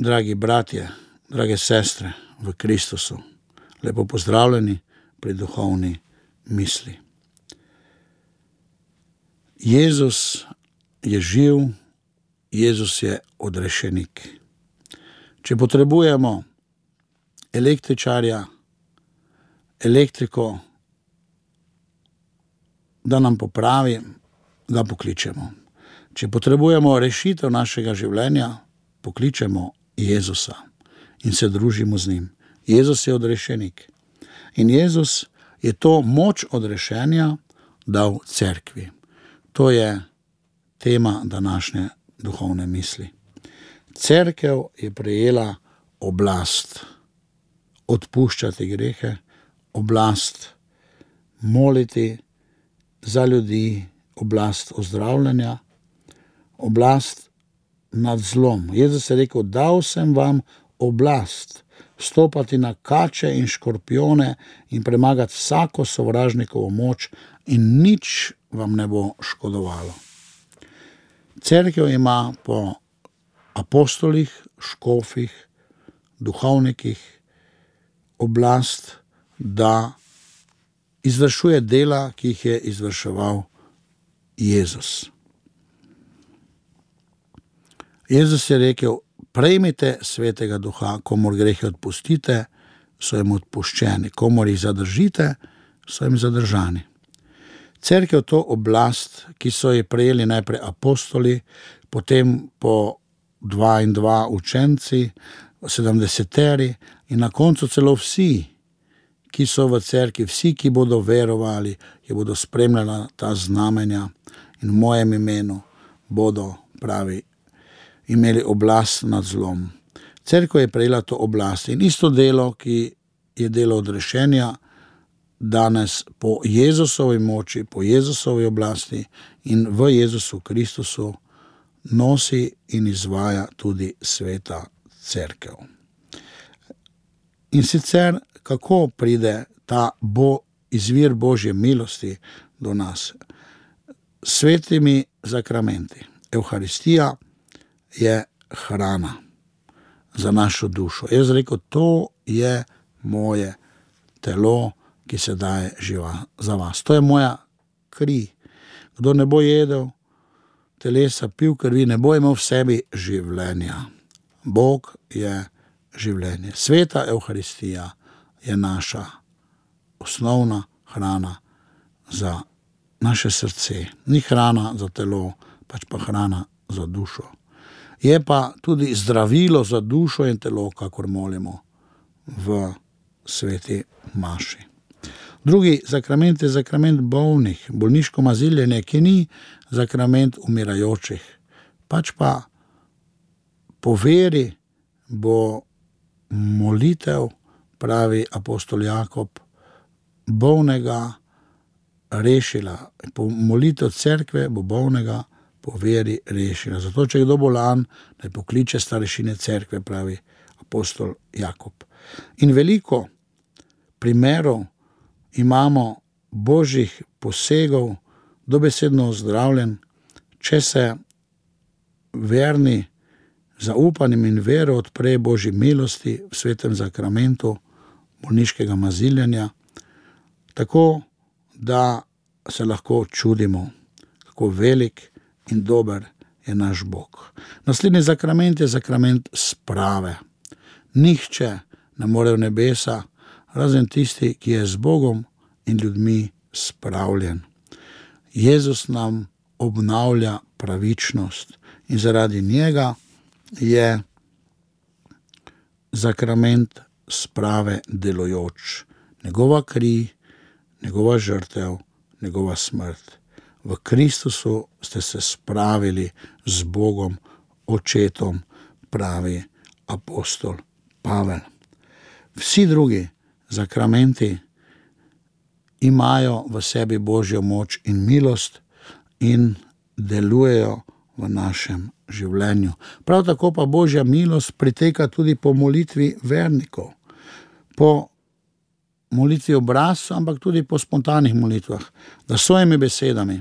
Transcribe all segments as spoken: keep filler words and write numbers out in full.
Dragi bratje, drage sestre v Kristusu, lepo pozdravljeni pri duhovni misli. Jezus je živ, Jezus je odrešenik. Če potrebujemo električarja, elektriko, da nam popravi, ga pokličemo. Če potrebujemo rešitev našega življenja, pokličemo Jezusa in se družimo z njim. Jezus je odrešenik. In Jezus je to moč odrešenja dal cerkvi. To je tema današnje duhovne misli. Cerkev je prejela oblast odpuščati grehe, oblast moliti za ljudi, oblast ozdravljanja, oblast nad zlom. Jezus je rekel, dal sem vam oblast stopati na kače in škorpione in premagati vsako sovražnikovo moč in nič vam ne bo škodovalo. Cerkev ima po apostolih, škofih, duhovnikih oblast, da izvršuje dela, ki jih je izvrševal Jezus. Jezus je rekel, prejmite svetega duha, komor grehe odpustite, so jim odpuščeni, komor jih zadržite, so jim zadržani. Cerkev to oblast, ki so ji prejeli najprej apostoli, potem po dva in dva učenci, sedemdeseteri in na koncu celo vsi, ki so v cerkvi, vsi, ki bodo verovali, ki bodo spremljali ta znamenja in v mojem imenu bodo, pravi, imeli oblast nad zlom. Cerkev je prejela to oblast in isto delo, ki je delo odrešenja, danes po Jezusovi moči, po Jezusovi oblasti in v Jezusu Kristusu nosi in izvaja tudi sveta cerkev. In sicer, kako pride ta bo, izvir Božje milosti do nas? Svetimi zakramenti. Evharistija je hrana za našo dušo. Jaz rekel, to je moje telo, ki se daje živa za vas. To je moja kri. Kdo ne bo jedel telesa, pil krvi, ne bo imel v sebi življenja. Bog je življenje. Sveta Evharistija je naša osnovna hrana za naše srce. Ni hrana za telo, pač pa hrana za dušo. Je pa tudi zdravilo za dušo in telo, kakor molimo v sveti maši. Drugi zakrament je zakrament bolnih, bolniško maziljenje, ki ni zakrament umirajočih. Pač pa po veri bo molitev, pravi apostol Jakob, bolnega rešila. Po molitev cerkve bo bolnega po veri rešila. Zato, če je kdo bolan, naj pokliče starešine cerkve, pravi apostol Jakob. In veliko primerov imamo božjih posegov, dobesedno ozdravljen, če se verni zaupanjem in vero odpre Božji milosti v svetem zakramentu bolniškega maziljenja, tako da se lahko čudimo, kako velik in dober je naš Bog. Naslednji zakrament je zakrament sprave. Nihče ne more v nebesa, razen tisti, ki je z Bogom in ljudmi spravljen. Jezus nam obnavlja pravičnost in zaradi njega je zakrament sprave delujoč. Njegova kri, njegova žrtev, njegova smrt. V Kristusu ste se spravili z Bogom, Očetom, pravi apostol Pavel. Vsi drugi zakramenti imajo v sebi Božjo moč in milost in delujejo v našem življenju. Prav tako pa Božja milost priteka tudi po molitvi vernikov, po molitvi obrazca, ampak tudi po spontanih molitvah, da s svojimi besedami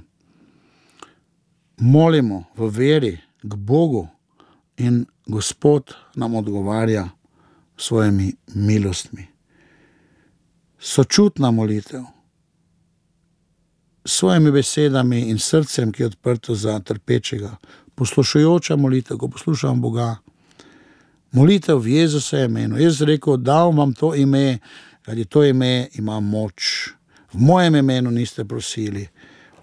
molimo v veri k Bogu in Gospod nam odgovarja s svojimi milostmi. Sočutna molitev, s svojimi besedami in srcem, ki je odprto za trpečega, poslušajoča molitev, ko poslušam Boga, molitev v Jezusovem imenu. Jaz rekel, dal vam to ime, kajti to ime ima moč. V mojem imenu niste prosili,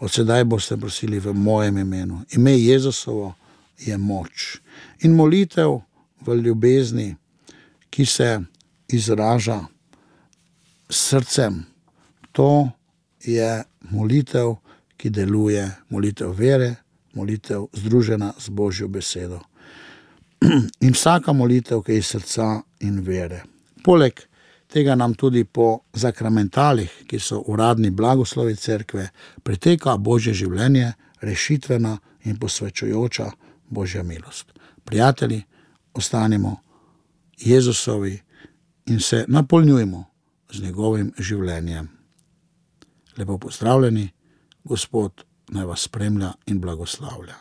od sedaj boste prosili v mojem imenu. Ime Jezusovo je moč. In molitev v ljubezni, ki se izraža s srcem, to je molitev, ki deluje, molitev vere, molitev združena z Božjo besedo. In vsaka molitev, ki je iz srca in vere. Poleg tega nam tudi po zakramentalih, ki so uradni blagoslovi cerkve, priteka Božje življenje, rešitvena in posvečujoča Božja milost. Prijatelji, ostanimo Jezusovi in se napolnjujmo z njegovim življenjem. Lepo pozdravljeni, Gospod naj vas spremlja in blagoslavlja.